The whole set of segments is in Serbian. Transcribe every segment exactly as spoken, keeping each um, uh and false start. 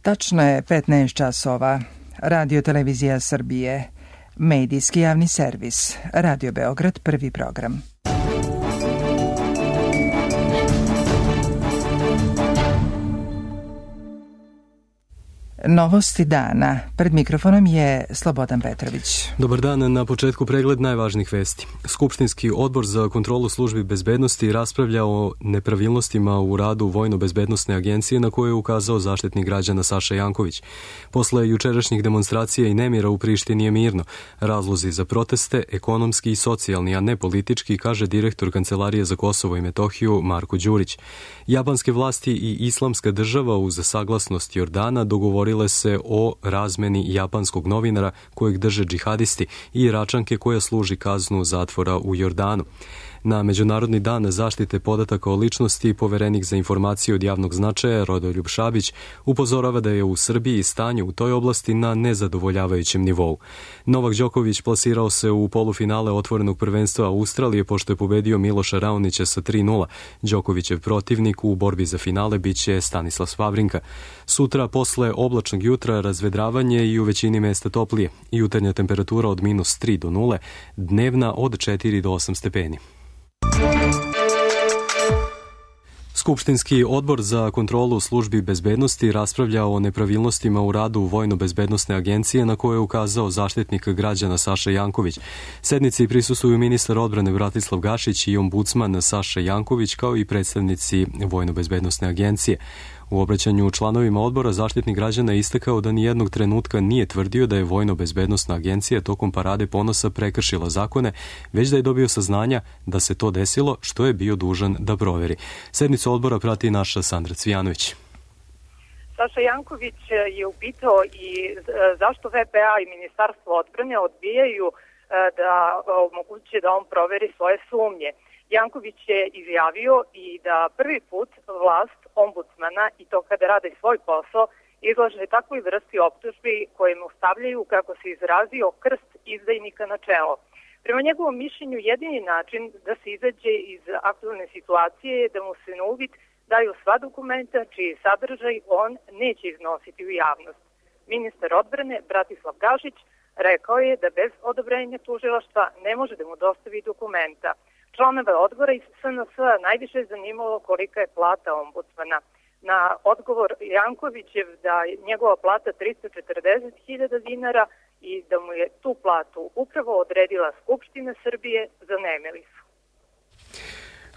Tačno je petnaest časova. Radio Televizija Srbije, medijski javni servis, Radio Beograd, prvi program. Novosti dana. Pred mikrofonom je Slobodan Petrović. Dobar dan, na početku pregled najvažnijih vesti. Skupštinski odbor za kontrolu službi bezbednosti raspravlja o nepravilnostima u radu Vojno-bezbednosne agencije na koje je ukazao zaštitnik građana Saša Janković. Posle jučerašnjih demonstracija i nemira u Prištini je mirno. Razlozi za proteste, ekonomski i socijalni, a ne politički, kaže direktor Kancelarije za Kosovo i Metohiju Marko Đurić. Japanske vlasti i Islamska država uz saglasnost Jordana dogovorili se o razmeni japanskog novinara kojeg drže džihadisti i Iračanke koja služi kaznu zatvora u Jordanu. Na Međunarodni dan zaštite podataka o ličnosti poverenik za informacije od javnog značaja Rodoljub Šabić upozorava da je u Srbiji stanje u toj oblasti na nezadovoljavajućem nivou. Novak Đoković plasirao se u polufinale otvorenog prvenstva Australije pošto je pobedio Miloša Raonića sa tri nula. Đokovićev protivnik u borbi za finale biće Stanislav Vavrinka. Sutra posle oblačnog jutra razvedravanje i u većini mesta toplije. Jutarnja temperatura od minus tri do nule, dnevna od četiri do osam stepeni. Skupštinski odbor za kontrolu službi bezbednosti raspravlja o nepravilnostima u radu Vojno-bezbednosne agencije na koje je ukazao zaštitnik građana Saša Janković. Sednici prisustvuju ministar odbrane Bratislav Gašić i ombudsman Saša Janković kao i predstavnici Vojno-bezbednosne agencije. U obraćanju članovima odbora zaštitnik građana je istakao da nijednog trenutka nije tvrdio da je Vojno-bezbednosna agencija tokom Parade ponosa prekršila zakone, već da je dobio saznanja da se to desilo, što je bio dužan da proveri. Sednicu odbora prati naša Sandra Cvijanović. Saša Janković je upitao i zašto V P A i Ministarstvo odbrane odbijaju da omoguće da on proveri svoje sumnje. Janković je izjavio i da prvi put vlast ombudsmana, i to kada rade svoj posao, izlaže takvoj vrsti optužbi koje mu stavljaju, kako se izrazio, krst izdajnika na čelo. Prema njegovom mišljenju, jedini način da se izađe iz aktualne situacije je da mu se na uvid daju sva dokumenta čiji sadržaj on neće iznositi u javnost. Ministar odbrane Bratislav Gašić rekao je da bez odobrenja tužilaštva ne može da mu dostavi dokumenta. Članove odbora iz S N S-a najviše je zanimalo kolika je plata ombudsmana. Na odgovor Jankovićev da je njegova plata tristo četrdeset hiljada dinara i da mu je tu platu upravo odredila Skupština Srbije, zanemili su.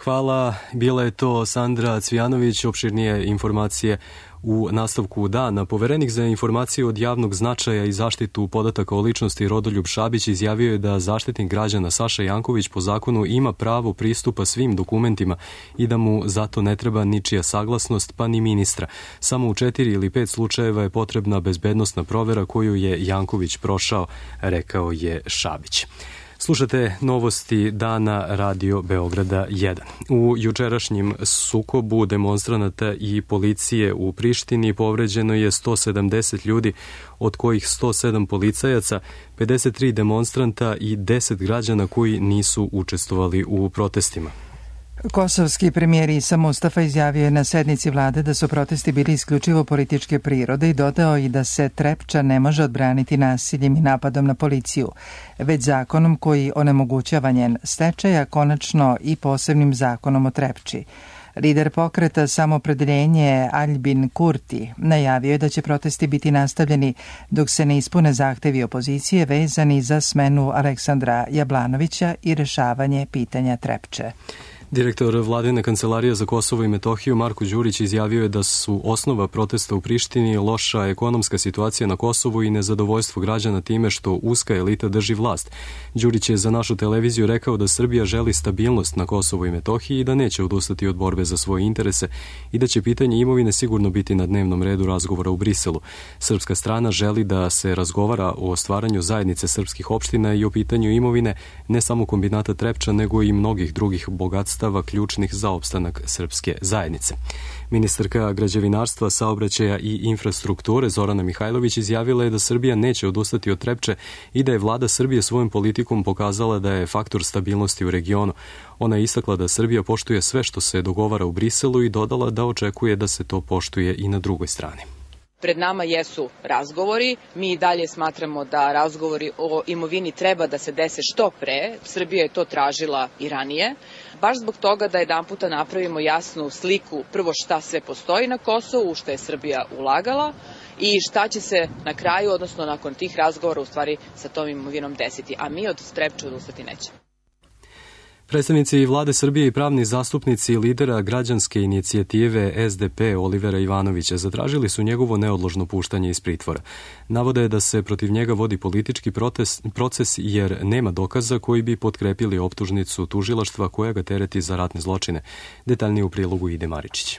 Hvala, bila je to Sandra Cvijanović. Opširnije informacije u nastavku dana. Poverenik za informacije od javnog značaja i zaštitu podataka o ličnosti Rodoljub Šabić izjavio je da zaštitnik građana Saša Janković po zakonu ima pravo pristupa svim dokumentima i da mu zato ne treba ničija saglasnost, pa ni ministra. Samo u četiri ili pet slučajeva je potrebna bezbednosna provera koju je Janković prošao, rekao je Šabić. Slušate novosti dana Radio Beograda jedan. U jučerašnjem sukobu demonstranata i policije u Prištini povređeno je sto sedamdeset ljudi, od kojih sto sedam policajaca, pedeset tri demonstranta i deset građana koji nisu učestvovali u protestima. Kosovski premijer Isa Mustafa izjavio je na sednici vlade da su protesti bili isključivo političke prirode i dodao i da se Trepča ne može odbraniti nasiljem i napadom na policiju, već zakonom koji onemogućava njen stečaj, a konačno i posebnim zakonom o Trepči. Lider pokreta Samopredeljenje Aljbin Kurti najavio je da će protesti biti nastavljeni dok se ne ispune zahtevi opozicije vezani za smenu Aleksandra Jablanovića i rešavanje pitanja Trepče. Direktor Vladine Kancelarije za Kosovo i Metohiju Marko Đurić izjavio je da su osnova protesta u Prištini loša ekonomska situacija na Kosovu i nezadovoljstvo građana time što uska elita drži vlast. Đurić je za našu televiziju rekao da Srbija želi stabilnost na Kosovu i Metohiji i da neće odustati od borbe za svoje interese i da će pitanje imovine sigurno biti na dnevnom redu razgovora u Briselu. Srpska strana želi da se razgovara o stvaranju zajednice srpskih opština i o pitanju imovine ne samo kombinata Trepča nego i mnogih drugih bogatstava ključnih za opstanak srpske zajednice. Ministarka građevinarstva, saobraćaja i infrastrukture Zorana Mihajlović izjavila je da Srbija neće odustati od Trepče i da je vlada Srbije svojom politikom pokazala da je faktor stabilnosti u regionu. Ona je istakla da Srbija poštuje sve što se dogovara u Briselu i dodala da očekuje da se to poštuje i na drugoj strani. Pred nama jesu razgovori, mi i dalje smatramo da razgovori o imovini treba da se dese što pre, Srbija je to tražila i ranije, baš zbog toga da jedanputa napravimo jasnu sliku prvo šta sve postoji na Kosovu, u što je Srbija ulagala i šta će se na kraju, odnosno nakon tih razgovora u stvari sa tom imovinom desiti, a mi od Trepče odustati nećemo. Predstavnici vlade Srbije i pravni zastupnici lidera građanske inicijative S D P Olivera Ivanovića zatražili su njegovo neodložno puštanje iz pritvora. Navode da se protiv njega vodi politički proces, proces jer nema dokaza koji bi potkrepili optužnicu tužilaštva koja ga tereti za ratne zločine. Detaljnije u prilogu Ide Maričić.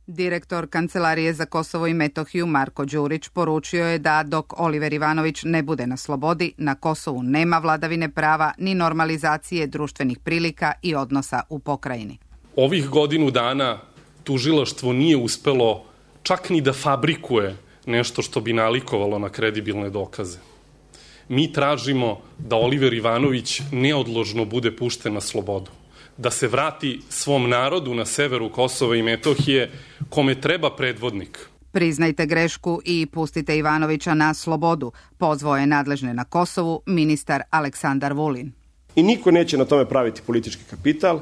Direktor Kancelarije za Kosovo i Metohiju Marko Đurić poručio je da dok Oliver Ivanović ne bude na slobodi, na Kosovu nema vladavine prava ni normalizacije društvenih prilika i odnosa u pokrajini. Ovih godinu dana tužilaštvo nije uspelo čak ni da fabrikuje nešto što bi nalikovalo na kredibilne dokaze. Mi tražimo da Oliver Ivanović neodložno bude pušten na slobodu, da se vrati svom narodu na severu Kosova i Metohije, kome treba predvodnik. Priznajte grešku i pustite Ivanovića na slobodu, pozvao je nadležne na Kosovu ministar Aleksandar Vulin. I niko neće na tome praviti politički kapital.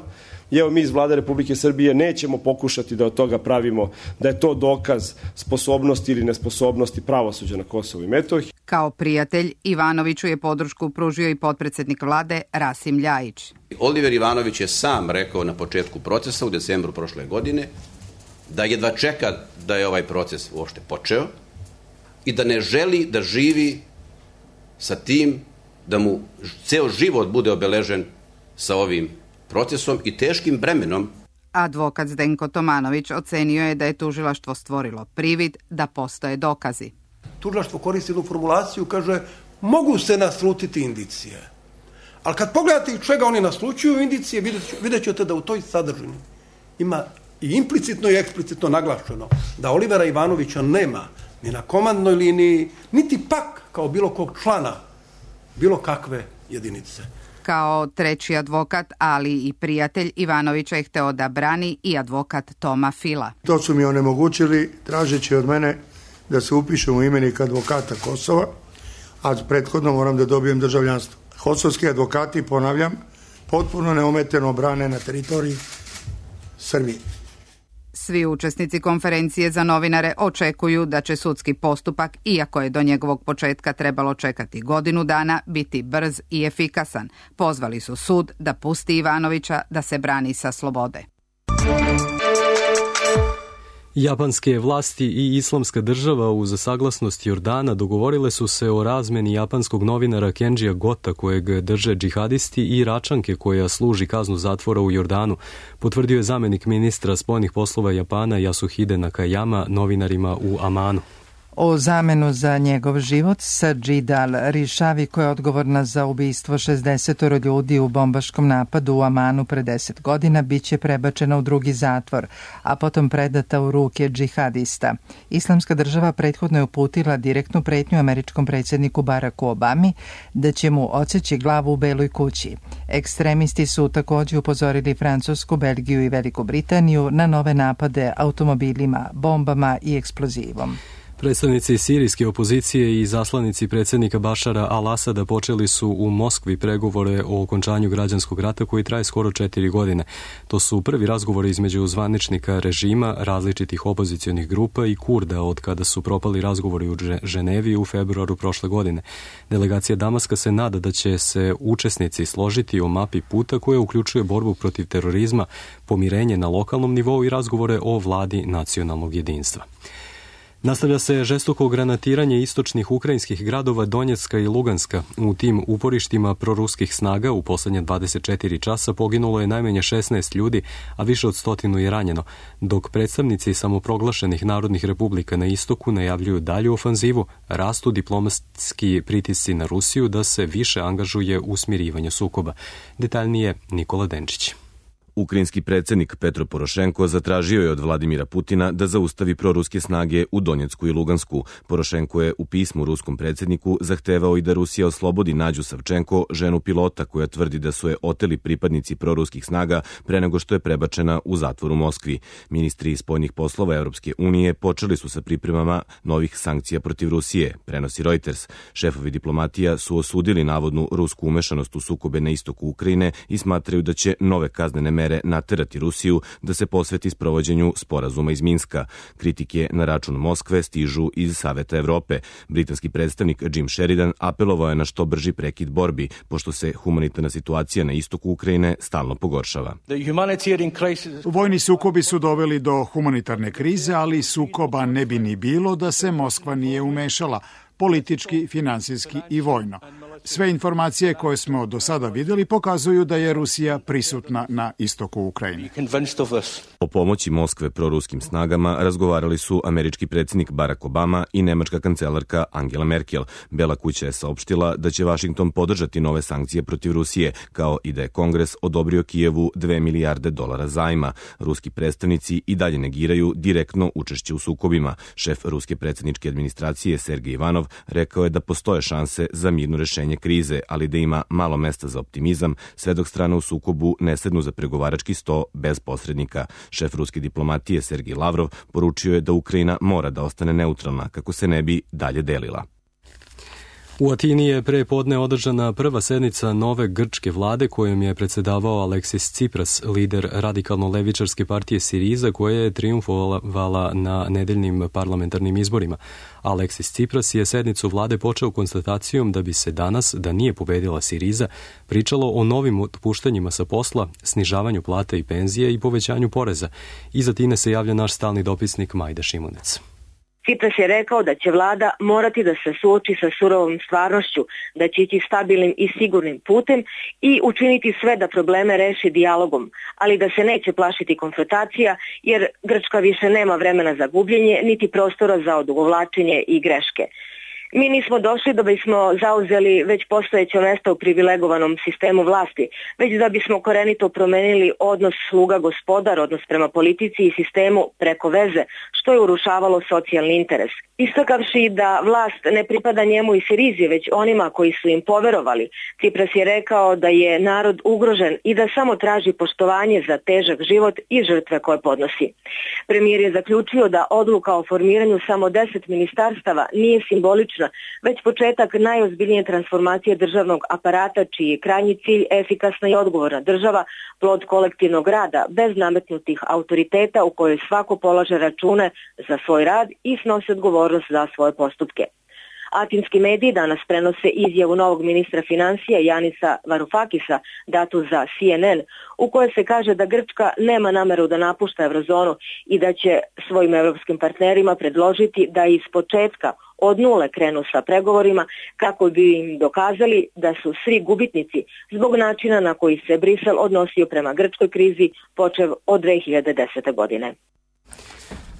I evo mi iz Vlade Republike Srbije nećemo pokušati da od toga pravimo da je to dokaz sposobnosti ili nesposobnosti pravosuđa na Kosovu i Metohiji. Kao prijatelj Ivanoviću je podršku pružio i potpredsednik vlade Rasim Ljajić. Oliver Ivanović je sam rekao na početku procesa u decembru prošle godine da jedva čeka da je ovaj proces uopšte počeo i da ne želi da živi sa tim da mu ceo život bude obeležen sa ovim procesom i teškim bremenom. Advokat Zdenko Tomanović ocenio je da je tužilaštvo stvorilo privid da postoje dokazi. Tužilaštvo koristi jednu formulaciju, kaže, mogu se naslutiti indicije. Ali kad pogledate čega oni naslučuju indicije, vidjet ćete da u toj sadržini ima i implicitno i eksplicitno naglašeno da Olivera Ivanovića nema ni na komandnoj liniji, niti pak kao bilo kog člana bilo kakve jedinice. Kao treći advokat, ali i prijatelj Ivanovića je hteo da brani i advokat Toma Fila. To su mi onemogućili tražeći od mene da se upišem u imenik advokata Kosova, a prethodno moram da dobijem državljanstvo. Kosovski advokati, ponavljam, potpuno neometeno brane na teritoriji Srbije. Svi učesnici konferencije za novinare očekuju da će sudski postupak, iako je do njegovog početka trebalo čekati godinu dana, biti brz i efikasan. Pozvali su sud da pusti Ivanovića da se brani sa slobode. Japanske vlasti i Islamska država uz saglasnost Jordana dogovorile su se o razmeni japanskog novinara Kenjija Gota kojeg drže džihadisti i Iračanke koja služi kaznu zatvora u Jordanu, potvrdio je zamenik ministra spoljnih poslova Japana Yasuhide Nakayama novinarima u Amanu. O zamenu za njegov život Sajid al-Rishavi, koja je odgovorna za ubistvo šezdeset ljudi u bombaškom napadu u Amanu pre deset godina, bit će prebačena u drugi zatvor, a potom predata u ruke džihadista. Islamska država prethodno je uputila direktnu pretnju američkom predsjedniku Baracku Obami da će mu odseći glavu u Beloj kući. Ekstremisti su također upozorili Francusku, Belgiju i Veliku Britaniju na nove napade automobilima, bombama i eksplozivom. Predstavnici sirijske opozicije i zaslanici predsjednika Bašara al-Asada počeli su u Moskvi pregovore o okončanju građanskog rata koji traje skoro četiri godine. To su prvi razgovori između zvaničnika režima, različitih opozicionih grupa i Kurda od kada su propali razgovori u Ženevi u februaru prošle godine. Delegacija Damaska se nada da će se učesnici složiti o mapi puta koja uključuje borbu protiv terorizma, pomirenje na lokalnom nivou i razgovore o vladi nacionalnog jedinstva. Nastavlja se žestoko granatiranje istočnih ukrajinskih gradova Donjecka i Luganska. U tim uporištima proruskih snaga u poslednje dvadeset četiri časa poginulo je najmanje šesnaest ljudi, a više od stotinu je ranjeno, dok predstavnici samoproglašenih narodnih republika na istoku najavljuju dalju ofanzivu, rastu diplomatski pritisci na Rusiju da se više angažuje u smirivanju sukoba. Detaljnije Nikola Denčić. Ukrajinski predsjednik Petro Porošenko zatražio je od Vladimira Putina da zaustavi proruske snage u Donjecku i Lugansku. Porošenko je u pismu ruskom predsjedniku zahtevao i da Rusija oslobodi Nađu Savčenko, ženu pilota koja tvrdi da su je oteli pripadnici proruskih snaga pre nego što je prebačena u zatvor u Moskvi. Ministri spoljnih poslova Europske unije počeli su sa pripremama novih sankcija protiv Rusije, prenosi Reuters. Šefovi diplomatija su osudili navodnu rusku umešanost u sukobe na istoku Ukrajine i smatraju da će nove kaznene mere naterati Rusiju da se posveti sprovođenju sporazuma iz Minska. Kritike na račun Moskve stižu iz Saveta Evrope. Britanski predstavnik Jim Sheridan apelovao je na što brži prekid borbi, pošto se humanitarna situacija na istoku Ukrajine stalno pogoršava. Vojni sukobi su doveli do humanitarne krize, ali sukoba ne bi ni bilo da se Moskva nije umešala, politički, finansijski i vojno. Sve informacije koje smo do sada vidjeli pokazuju da je Rusija prisutna na istoku Ukrajine. O pomoći Moskve proruskim snagama razgovarali su američki predsjednik Barack Obama i nemačka kancelarka Angela Merkel. Bela kuća je saopštila da će Washington podržati nove sankcije protiv Rusije, kao i da je Kongres odobrio Kijevu dve milijarde dolara zajma. Ruski predstavnici i dalje negiraju direktno učešće u sukobima. Šef ruske predsjedničke administracije Sergej Ivanov rekao je da postoje šanse za mirno rešenje krize, ali da ima malo mesta za optimizam, sve dok strane u sukobu ne sednu za pregovarački sto bez posrednika. Šef ruske diplomatije Sergej Lavrov poručio je da Ukrajina mora da ostane neutralna kako se ne bi dalje delila. U Atini je pre podne održana prva sednica nove grčke vlade kojom je predsjedavao Aleksis Tsipras, lider radikalno-levičarske partije Siriza, koja je triumfovala na nedeljnim parlamentarnim izborima. Aleksis Tsipras je sednicu vlade počeo konstatacijom da bi se danas, da nije pobedila Siriza, pričalo o novim otpuštanjima sa posla, snižavanju plate i penzije i povećanju poreza. Iz Atine se javlja naš stalni dopisnik Majda Šimunec. Tsipras je rekao da će vlada morati da se suoči sa surovom stvarnošću, da će ići stabilnim i sigurnim putem i učiniti sve da probleme reši dijalogom, ali da se neće plašiti konfrontacija jer Grčka više nema vremena za gubljenje niti prostora za odugovlačenje i greške. Mi nismo došli da bismo zauzeli već postojeće mjesto u privilegovanom sistemu vlasti, već da bismo korenito promenili odnos sluga-gospodar, odnos prema politici i sistemu preko veze, što je urušavalo socijalni interes. Istakavši da vlast ne pripada njemu i Sirizi, već onima koji su im poverovali, Tsipras je rekao da je narod ugrožen i da samo traži poštovanje za težak život i žrtve koje podnosi. Premijer je zaključio da odluka o formiranju samo deset ministarstava nije simbolična, već početak najozbiljnije transformacije državnog aparata, čiji je krajnji cilj efikasna i odgovorna država, plod kolektivnog rada, bez nametnutih autoriteta u kojoj svako polaže račune za svoj rad i snosi odgovornost za svoje postupke. Atinski mediji danas prenose izjavu novog ministra financija Janisa Varoufakisa, datu za C N N, u kojoj se kaže da Grčka nema nameru da napušta eurozonu i da će svojim europskim partnerima predložiti da iz početka od nule krenu sa pregovorima kako bi im dokazali da su svi gubitnici zbog načina na koji se Brisel odnosio prema grčkoj krizi počev od dve hiljade desete. godine.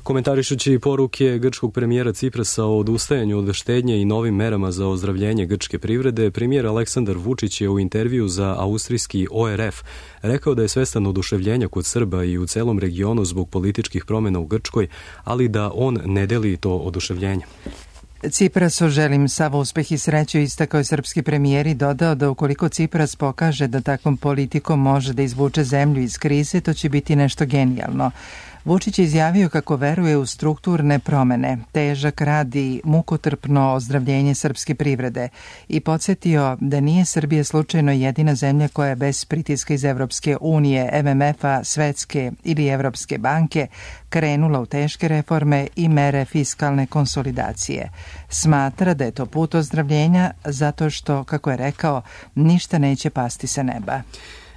Komentarišući poruke grčkog premijera Tsiprasa o odustajanju od štednje i novim merama za ozdravljenje grčke privrede, premijer Aleksandar Vučić je u intervju za austrijski O R F rekao da je svestan oduševljenja kod Srba i u celom regionu zbog političkih promjena u Grčkoj, ali da on ne deli to oduševljenje. Tsiprasu želim sav uspeh i sreću, istakao je srpski premijer i dodao da ukoliko Tsipras pokaže da takvom politikom može da izvuče zemlju iz krize, to će biti nešto genijalno. Vučić je izjavio kako veruje u strukturne promene, težak rad i mukotrpno ozdravljenje srpske privrede i podsjetio da nije Srbija slučajno jedina zemlja koja je bez pritiska iz Evropske unije, M M F-a, Svetske ili Evropske banke krenula u teške reforme i mere fiskalne konsolidacije. Smatra da je to put ozdravljenja zato što, kako je rekao, ništa neće pasti sa neba.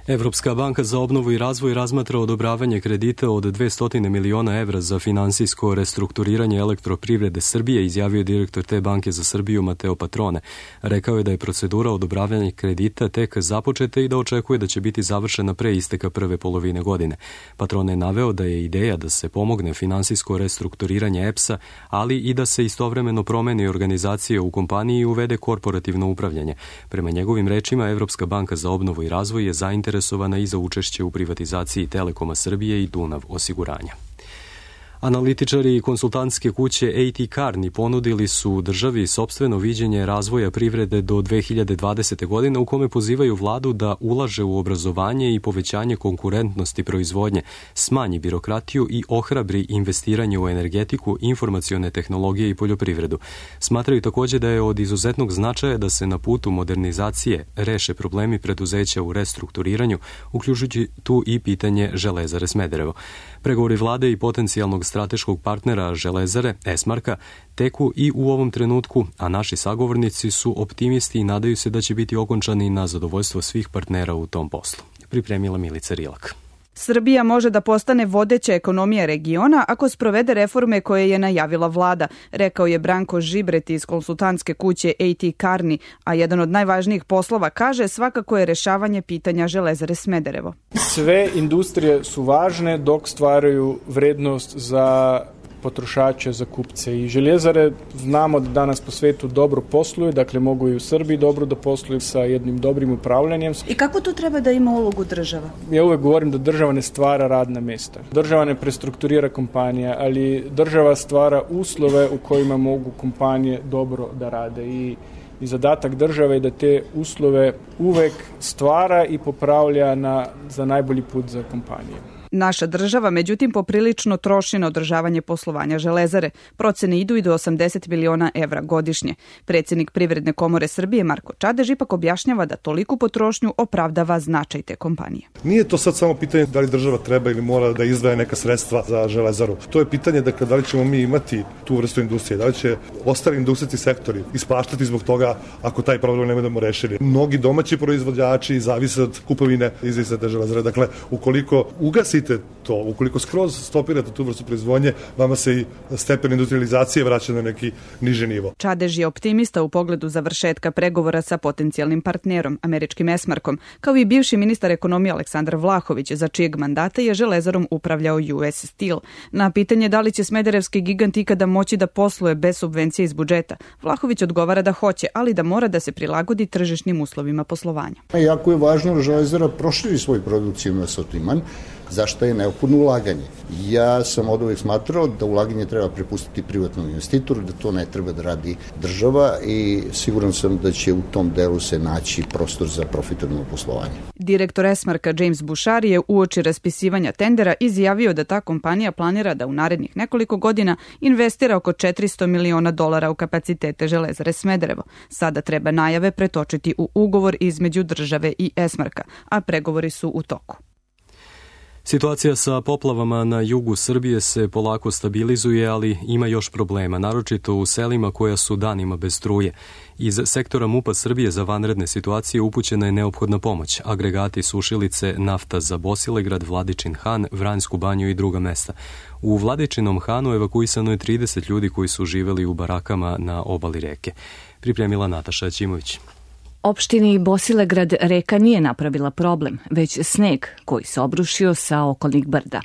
Evropska banka za obnovu i razvoj razmatra odobravanje kredita od dvesta miliona evra za finansijsko restrukturiranje elektroprivrede Srbije, izjavio je direktor te banke za Srbiju Mateo Patrone. Rekao je da je procedura odobravanja kredita tek započeta i da očekuje da će biti završena pre isteka prve polovine godine. Patrone je naveo da je ideja da se pomogne finansijsko restrukturiranje E P S-a, ali i da se istovremeno promeni organizacija u kompaniji i uvede korporativno upravljanje. Prema njegovim rečima, Evropska banka za obnovu i razvoj je zainteresovana zainteresovana i za učešće u privatizaciji Telekoma Srbije i Dunav osiguranja. Analitičari i konsultantske kuće A T Kearney ponudili su državi sopstveno viđenje razvoja privrede do dve hiljade dvadesete. godine u kome pozivaju vladu da ulaže u obrazovanje i povećanje konkurentnosti proizvodnje, smanji birokratiju i ohrabri investiranje u energetiku, informacione tehnologije i poljoprivredu. Smatraju također da je od izuzetnog značaja da se na putu modernizacije reše problemi preduzeća u restrukturiranju, uključujući tu i pitanje Železare Smederevo. Pregovori vlade i potencijalnog strateškog partnera Železare, Esmarka, teku i u ovom trenutku, a naši sagovornici su optimisti i nadaju se da će biti okončani na zadovoljstvo svih partnera u tom poslu. Pripremila Milica Rilak. Srbija može da postane vodeća ekonomija regiona ako sprovede reforme koje je najavila vlada, rekao je Branko Žibret iz konsultantske kuće A T Kearney, a jedan od najvažnijih poslova, kaže, svakako je rešavanje pitanja Železare Smederevo. Sve industrije su važne dok stvaraju vrednost za potrošače, za kupce. I željezare znamo da danas po svetu dobro posluju, dakle mogu i u Srbiji dobro da posluju sa jednim dobrim upravljanjem. I kako tu treba da ima ulogu država? Ja uvek govorim da država ne stvara radna mesta. Država ne prestrukturira kompanije, ali država stvara uslove u kojima mogu kompanije dobro da rade. I I zadatak države je da te uslove uvek stvara i popravlja na, za najbolji put za kompanije. Naša država, međutim, poprilično troši na održavanje poslovanja Železare. Procene idu i do osamdeset miliona evra godišnje. Predsjednik Privredne komore Srbije Marko Čadež ipak objašnjava da toliku potrošnju opravdava značaj te kompanije. Nije to sad samo pitanje da li država treba ili mora da izdvaja neka sredstva za Železaru. To je pitanje dakle, da li ćemo mi imati tu vrstu industrije, da li će ostali industrijski sektori ispaštati zbog toga ako taj problem ne budemo rešili. Mnogi domaći proizvođači zavise od kupovine izviste Železare. Dakle, ukoliko ugasite to, ukoliko skroz stopirate tu vrstu proizvodnje, vama se i stepen industrializacije vraća na neki niži nivo. Čadež je optimista u pogledu završetka pregovora sa potencijalnim partnerom, američkim Esmarkom, kao i bivši ministar ekonomije Aleksandar Vlahović, za čijeg mandata je Železarom upravljao U S Steel. Na pitanje da li će smederevski gigant ikada moći da posluje bez subvencije iz budžeta, Vlahović odgovara da hoće, ali da mora da se prilagodi tržišnim uslovima poslovanja. Jako je važno da Železara proširi svoj produkcijni asortiman, zašto je neophodno ulaganje. Ja sam od uvek smatrao da ulaganje treba prepustiti privatnom investitoru, da to ne treba da radi država i siguran sam da će u tom delu se naći prostor za profitabilno poslovanje. Direktor Esmarka James Bouchard je uoči raspisivanja tendera izjavio da ta kompanija planira da u narednih nekoliko godina investira oko četiristo miliona dolara u kapacitete Železare Smederevo. Sada treba najave pretočiti u ugovor između države i Esmarka, a pregovori su u toku. Situacija sa poplavama na jugu Srbije se polako stabilizuje, ali ima još problema, naročito u selima koja su danima bez struje. Iz sektora MUP-a Srbije za vanredne situacije upućena je neophodna pomoć. Agregati, sušilice, nafta za Bosilegrad, Vladičin Han, Vranjsku banju i druga mesta. U Vladičinom Hanu evakuisano je trideset ljudi koji su živeli u barakama na obali reke. Pripremila Nataša Ćimović. Opštini Bosilegrad reka nije napravila problem, već sneg koji se obrušio sa okolnih brda.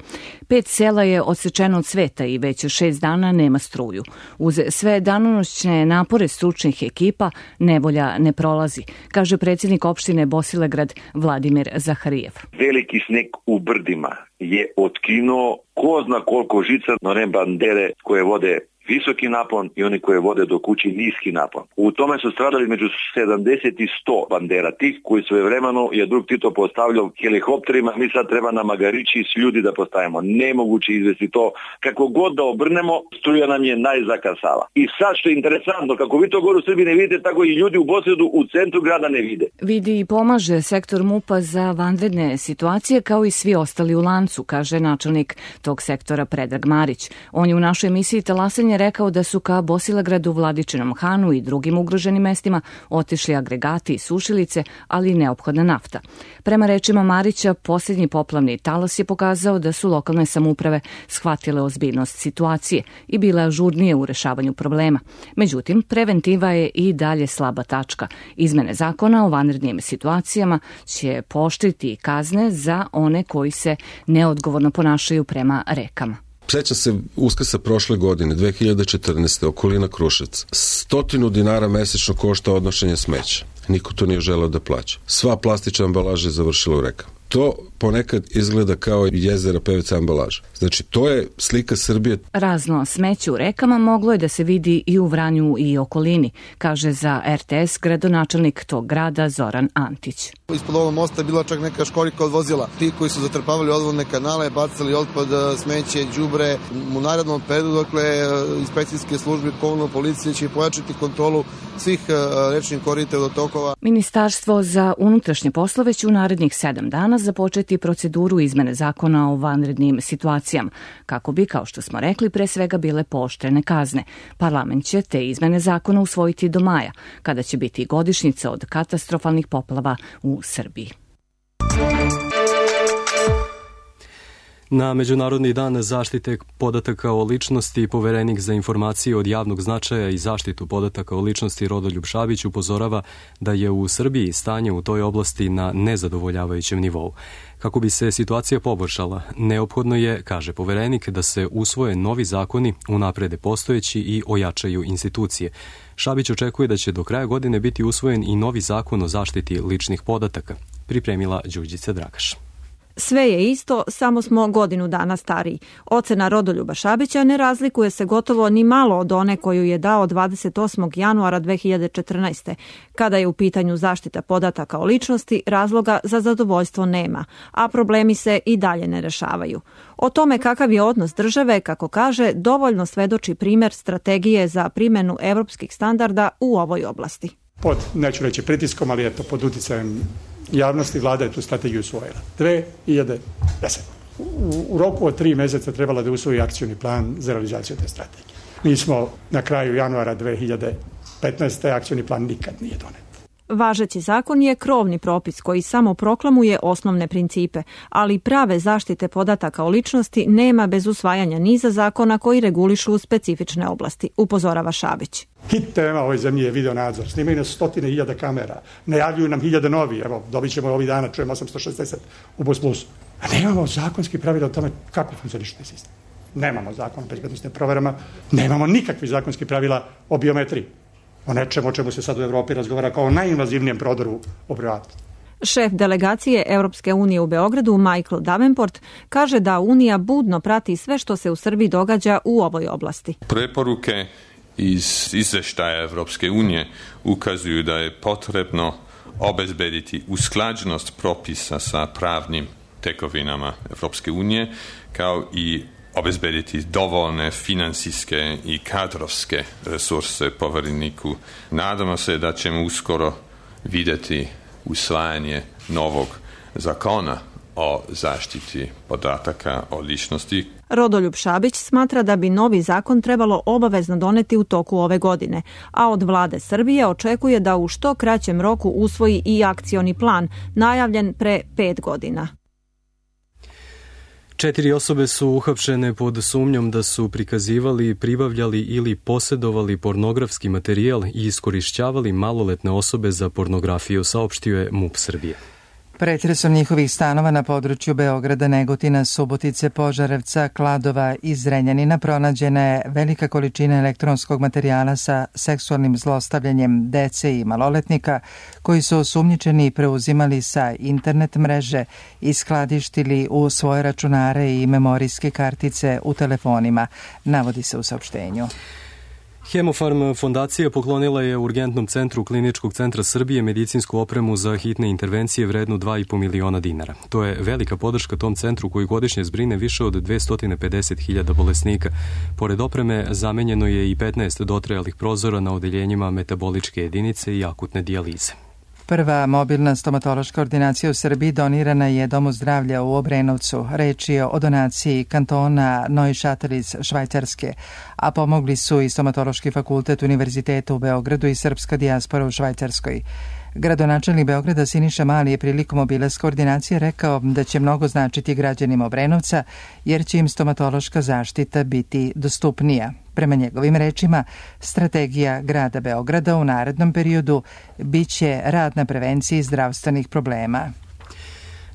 Pet sela je odsečeno od sveta i već šest dana nema struju. Uz sve danonoćne napore stručnih ekipa nevolja ne prolazi, kaže predsjednik opštine Bosilegrad Vladimir Zaharijev. Veliki sneg u brdima je otkinuo ko zna koliko žica na one bandere koje vode visoki napon i oni koje vode do kući niski napon. U tome su stradali među sedamdeset i sto bandera tih koji svojevremeno je drug Tito postavljao helikopterima, mi sad treba na Magarići s ljudi da postavimo. Nemoguće izvesti to. Kako god da obrnemo, struja nam je najzakasala. I sad što je interesantno, kako vi to gore u Srbiji ne vidite, tako i ljudi u Bosilegradu u centru grada ne vide. Vidi i pomaže sektor MUP-a za vanredne situacije kao i svi ostali u lancu, kaže načelnik tog sektora Predrag Marić. On je u našoj emisiji Talasanje rekao da su ka Bosilegradu, Vladičinom Hanu i drugim ugroženim mestima otišli agregati i sušilice, ali i neophodna nafta. Prema rečima Marića, posljednji poplavni talas je pokazao da su lokalne samouprave shvatile ozbiljnost situacije i bile ažurnije u rešavanju problema. Međutim, preventiva je i dalje slaba tačka. Izmene zakona o vanrednim situacijama će pooštriti kazne za one koji se neodgovorno ponašaju prema rekama. Seća se Uskrsa prošle godine, dve hiljade četrnaeste. okolina Kruševca. Stotinu dinara mesečno košta odnošenje smeća. Niko to nije želeo da plaća. Sva plastična ambalaža je završila u rekama. to ponekad izgleda kao jezera P V C ambalaža. Znači, to je slika Srbije. Razno smeće u rekama moglo je da se vidi i u Vranju i okolini, kaže za R T S gradonačelnik tog grada Zoran Antić. Ispod ovog mosta je bila čak neka školjka od vozila. Ti koji su zatrpavali odvodne kanale, bacali otpad, smeće, đubre. U narednom periodu, dakle, inspekcijske službe, komunalna policija će pojačati kontrolu svih rečnih korita i vodotokova. Ministarstvo za unutrašnje poslove će u narednih sedam dana započeti proceduru izmene zakona o vanrednim situacijama, kako bi, kao što smo rekli, pre svega bile pooštrene kazne. Parlament će te izmene zakona usvojiti do maja, kada će biti godišnjica od katastrofalnih poplava u Srbiji. Na Međunarodni dan zaštite podataka o ličnosti Poverenik za informacije od javnog značaja i zaštitu podataka o ličnosti Rodoljub Šabić upozorava da je u Srbiji stanje u toj oblasti na nezadovoljavajućem nivou. Kako bi se situacija poboljšala, neophodno je, kaže Poverenik, da se usvoje novi zakoni, unaprede postojeći i ojačaju institucije. Šabić očekuje da će do kraja godine biti usvojen i novi zakon o zaštiti ličnih podataka, pripremila Đurđica Dragaš. Sve je isto, samo smo godinu dana stariji. Ocena Rodoljuba Šabića ne razlikuje se gotovo ni malo od one koju je dao dvadeset osmog januara dve hiljade četrnaeste. Kada je u pitanju zaštita podataka o ličnosti, razloga za zadovoljstvo nema, a problemi se i dalje ne rešavaju. O tome kakav je odnos države, kako kaže, dovoljno svedoči primer strategije za primjenu evropskih standarda u ovoj oblasti. Pod, neću reći pritiskom, ali eto, pod uticajem javnosti vlada je tu strategiju usvojila. dve hiljade desete. U, u roku od tri meseca trebala da usvoji akcioni plan za realizaciju te strategije. Mi smo na kraju januara dve hiljade petnaeste. akcioni plan nikad nije donet. Važeći zakon je krovni propis koji samo proklamuje osnovne principe, ali prave zaštite podataka o ličnosti nema bez usvajanja niza zakona koji regulišu specifične oblasti, upozorava Šabić. Hit tema ovoj zemlji je video nadzor. Snimaju nas stotine hiljada kamera. Najavljuju nam hiljade novi. Evo, dobit ćemo ovih dana, čujemo osamsto šezdeset u Bus Plusu. A nemamo zakonski pravila o tome kako funkcioniše taj sistem. Nemamo zakon o bezbednosnim proverama, nemamo nikakvi zakonski pravila o biometriji. O nečemu o čemu se sad u Evropi razgovara kao o najinvazivnijem prodoru u privatnost. Šef delegacije Europske unije u Beogradu, Michael Davenport, kaže da Unija budno prati sve što se u Srbiji događa u ovoj oblasti. Preporuke iz izveštaja Evropske unije ukazuju da je potrebno obezbediti usklađenost propisa sa pravnim tekovinama Evropske unije, kao i obezbediti dovoljne finansijske i kadrovske resurse Povereniku. Nadamo se da ćemo uskoro vidjeti usvajanje novog zakona o zaštiti podataka o ličnosti. Rodoljub Šabić smatra da bi novi zakon trebalo obavezno doneti u toku ove godine, a od vlade Srbije očekuje da u što kraćem roku usvoji i akcioni plan, najavljen pre pet godina. Četiri osobe su uhapšene pod sumnjom da su prikazivali, pribavljali ili posedovali pornografski materijal i iskorišćavali maloletne osobe za pornografiju, saopštio je MUP Srbije. Pretresom njihovih stanova na području Beograda, Negotina, Subotice, Požarevca, Kladova i Zrenjanina pronađena je velika količina elektronskog materijala sa seksualnim zlostavljanjem dece i maloletnika koji su osumnjičeni preuzimali sa internet mreže i skladištili u svoje računare i memorijske kartice u telefonima, navodi se u saopštenju. Hemofarm fondacija poklonila je Urgentnom centru Kliničkog centra Srbije medicinsku opremu za hitne intervencije vrednu dva i po miliona dinara. To je velika podrška tom centru koji godišnje zbrine više od dvesta pedeset hiljada bolesnika. Pored opreme zamenjeno je i petnaest dotrajalih prozora na odeljenjima metaboličke jedinice i akutne dijalize. Prva mobilna stomatološka ordinacija u Srbiji donirana je Domu zdravlja u Obrenovcu. Reč je o donaciji kantona Neuchâtel iz Švajcarske, a pomogli su i Stomatološki fakultet Univerziteta u Beogradu i srpska dijaspora u Švajcarskoj. Gradonačelnik Beograda Siniša Mali je prilikom obilaska ordinacije rekao da će mnogo značiti građanima Obrenovca jer će im stomatološka zaštita biti dostupnija. Prema njegovim rečima, strategija grada Beograda u narednom periodu biće rad na prevenciji zdravstvenih problema.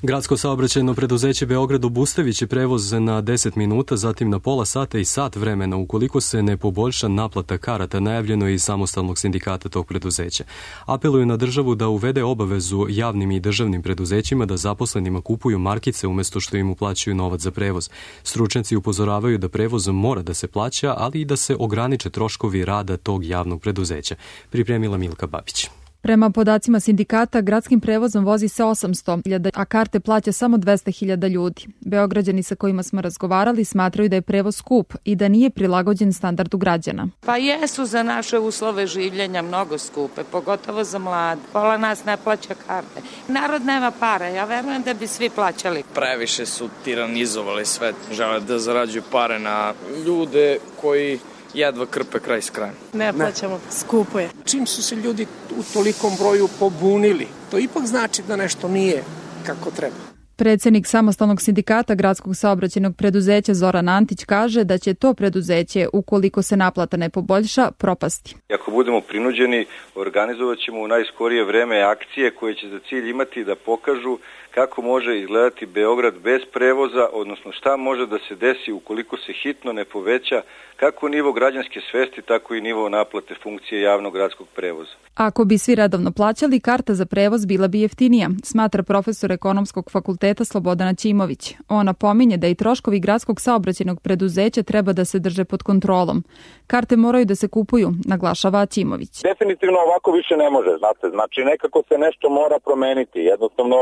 Gradsko saobraćajno preduzeće Beograd obustavit će prevoz na deset minuta, zatim na pola sata i sat vremena ukoliko se ne poboljša naplata karata, najavljeno je iz samostalnog sindikata tog preduzeća. Apeluju na državu da uvede obavezu javnim i državnim preduzećima da zaposlenima kupuju markice umjesto što im uplaćuju novac za prevoz. Stručnjaci upozoravaju da prevoz mora da se plaća, ali i da se ograniče troškovi rada tog javnog preduzeća. Pripremila Milka Babić. Prema podacima sindikata, gradskim prevozom vozi se osamsto hiljada, a karte plaća samo dvesta hiljada ljudi. Beograđani sa kojima smo razgovarali smatraju da je prevoz skup i da nije prilagođen standardu građana. Pa jesu za naše uslove življenja mnogo skupe, pogotovo za mlade. Pola nas ne plaća karte. Narod nema pare, ja verujem da bi svi plaćali. Previše su tiranizovali sve, žele da zarađuju pare na ljude koji jedva krpe kraj s krajem. Ne plaćamo, skupo je. Čim su se ljudi u tolikom broju pobunili, to ipak znači da nešto nije kako treba. Predsjednik samostalnog sindikata gradskog saobraćajnog preduzeća Zoran Antić kaže da će to preduzeće, ukoliko se naplata ne poboljša, propasti. Ako budemo prinuđeni, organizovat ćemo u najskorije vreme akcije koje će za cilj imati da pokažu kako može izgledati Beograd bez prevoza, odnosno šta može da se desi ukoliko se hitno ne poveća kako nivo građanske svesti, tako i nivo naplate funkcije javnog gradskog prevoza. Ako bi svi redovno plaćali, karta za prevoz bila bi jeftinija, smatra profesor ekonomskog fakulteta Slobodan Ćimović. On napominje da i troškovi gradskog saobraćajnog preduzeća treba da se drže pod kontrolom. Karte moraju da se kupuju, naglašava Ćimović. Definitivno ovako više ne može, znate, znači nekako se nešto mora promeniti, jednostavno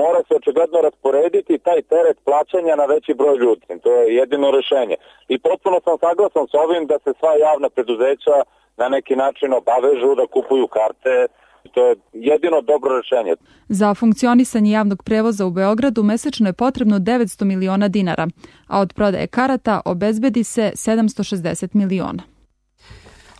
mora se očigledno rasporediti taj teret plaćanja na veći broj ljudi. To je jedino rešenje. I potpuno sam saglasan s ovim da se sva javna preduzeća na neki način obavežu da kupuju karte. To je jedino dobro rešenje. Za funkcionisanje javnog prevoza u Beogradu mesečno je potrebno devetsto miliona dinara, a od prodaje karata obezbedi se sedamsto šezdeset miliona.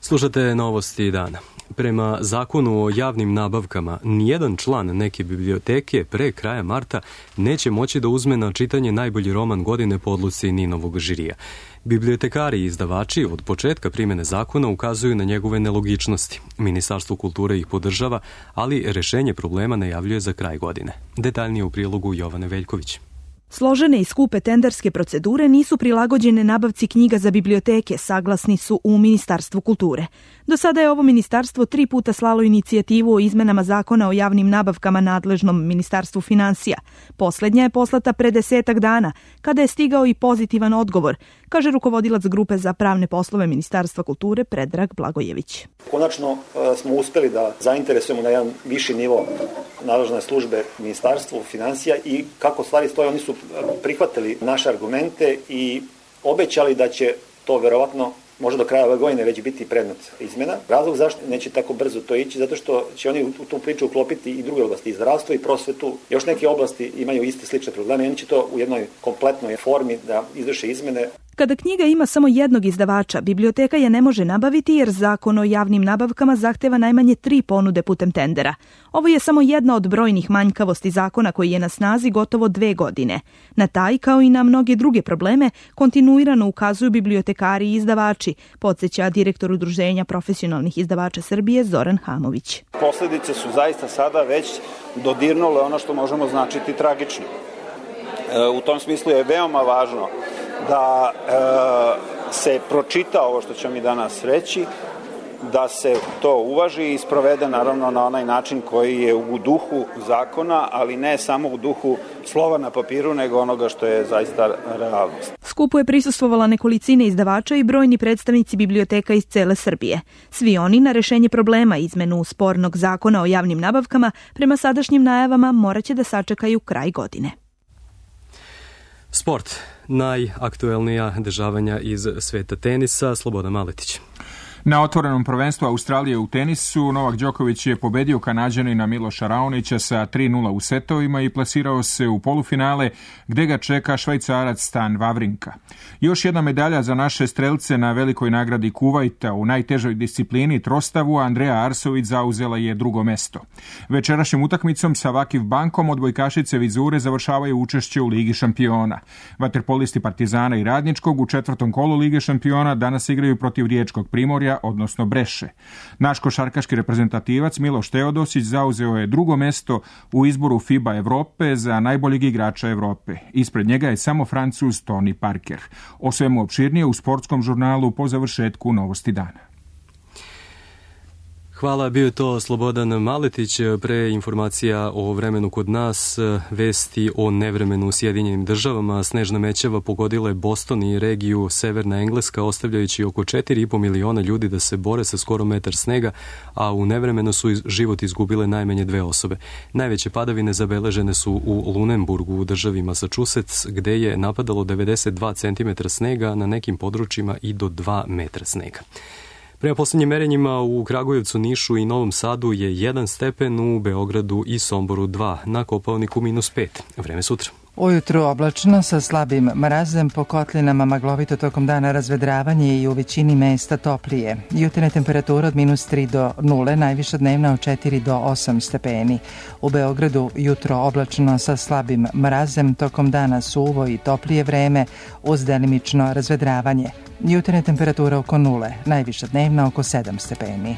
Slušate novosti dana. Prema zakonu o javnim nabavkama, nijedan član neke biblioteke pre kraja marta neće moći da uzme na čitanje najbolji roman godine po odluci Ninovog žirija. Bibliotekari i izdavači od početka primjene zakona ukazuju na njegove nelogičnosti. Ministarstvo kulture ih podržava, ali rešenje problema najavljuje za kraj godine. Detaljnije u prilogu Jovane Veljković. Složene i skupe tenderske procedure nisu prilagođene nabavci knjiga za biblioteke, saglasni su u Ministarstvu kulture. Do sada je ovo ministarstvo tri puta slalo inicijativu o izmenama zakona o javnim nabavkama nadležnom Ministarstvu finansija. Poslednja je poslata pre desetak dana, kada je stigao i pozitivan odgovor, kaže rukovodilac grupe za pravne poslove Ministarstva kulture Predrag Blagojević. Konačno smo uspeli da zainteresujemo na jedan viši nivo nadležne službe Ministarstvu finansija i kako stvari stoje, oni su prihvatili naše argumente i obećali da će to verovatno možda do kraja ove godine već biti predmet izmena. Razlog zašto neće tako brzo to ići, zato što će oni u tu priču uklopiti i druge oblasti, i zdravstvo i prosvetu. Još neke oblasti imaju iste slične probleme i oni će to u jednoj kompletnoj formi da izvrše izmene. Kada knjiga ima samo jednog izdavača, biblioteka je ne može nabaviti jer zakon o javnim nabavkama zahteva najmanje tri ponude putem tendera. Ovo je samo jedna od brojnih manjkavosti zakona koji je na snazi gotovo dve godine. Na taj, kao i na mnoge druge probleme, kontinuirano ukazuju bibliotekari i izdavači, podsjeća direktor Udruženja profesionalnih izdavača Srbije Zoran Hamović. Posledice su zaista sada već dodirnule ono što možemo značiti tragično. U tom smislu je veoma važno da e, se pročita ovo što ćemo mi danas reći, da se to uvaži i sprovede naravno na onaj način koji je u duhu zakona, ali ne samo u duhu slova na papiru, nego onoga što je zaista realnost. Skupu je prisustvovala nekolicine izdavača i brojni predstavnici biblioteka iz cele Srbije. Svi oni na rešenje problema izmenu spornog zakona o javnim nabavkama prema sadašnjim najavama morat će da sačekaju kraj godine. Sport. Najaktuelnija dešavanja iz sveta tenisa. Slobodan Maletić. Na otvorenom prvenstvu Australije u tenisu Novak Đoković je pobedio Kanađanina Miloša Raonića sa tri nula u setovima i plasirao se u polufinale gde ga čeka Švajcarac Stan Wawrinka. Još jedna medalja za naše strelce na velikoj nagradi Kuvajta u najtežoj disciplini trostavu. Andreja Arsović zauzela je drugo mesto. Večerašnjim utakmicom sa Vakiv Bankom odbojkašice Vizure završavaju učešće u Ligi šampiona. Vaterpolisti Partizana i Radničkog u četvrtom kolu Lige šampiona danas igraju protiv Riječkog Primorja Bresleja, odnosno Breše. Naš košarkaški reprezentativac Miloš Teodosić zauzeo je drugo mesto u izboru FIBA Evrope za najboljeg igrača Evrope. Ispred njega je samo Francuz Tony Parker. O svemu opširnije u sportskom žurnalu po završetku Novosti dana. Hvala, bio je to Slobodan Maletić. Pre informacija o vremenu kod nas, vesti o nevremenu u Sjedinjenim državama. Snežna mećava pogodila je Boston i regiju Severna Engleska, ostavljajući oko četiri i po miliona ljudi da se bore sa skoro metar snega, a u nevremenu su život izgubile najmanje dve osobe. Najveće padavine zabeležene su u Lunenburgu u državi Massachusetts, gde je napadalo devedeset dva centimetra snega, na nekim područjima i do dva metra snega. Prema posljednjim merenjima u Kragujevcu, Nišu i Novom Sadu je jedan stepen, u Beogradu i Somboru dva, na Kopaoniku minus pet. Vreme sutra. Ujutru oblačno sa slabim mrazem, po kotlinama maglovito, tokom dana razvedravanje i u većini mesta toplije. Jutarnja temperatura od minus tri do nule, najviša dnevna od četiri do osam stepeni. U Beogradu jutro oblačno sa slabim mrazem, tokom dana suvo i toplije vreme uz delimično razvedravanje. Jutarnja temperatura oko nule, najviša dnevna oko sedam stepeni.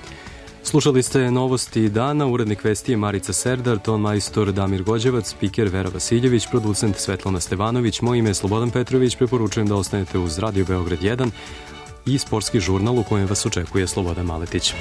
Slušali ste Novosti dana, urednik vesti je Marica Serdar, ton majstor Damir Gođevac, spiker Vera Vasiljević, producent Svetlana Stevanović, moje ime je Slobodan Petrović, preporučujem da ostanete uz Radio Beograd jedan i sportski žurnal u kojem vas očekuje Slobodan Maletić.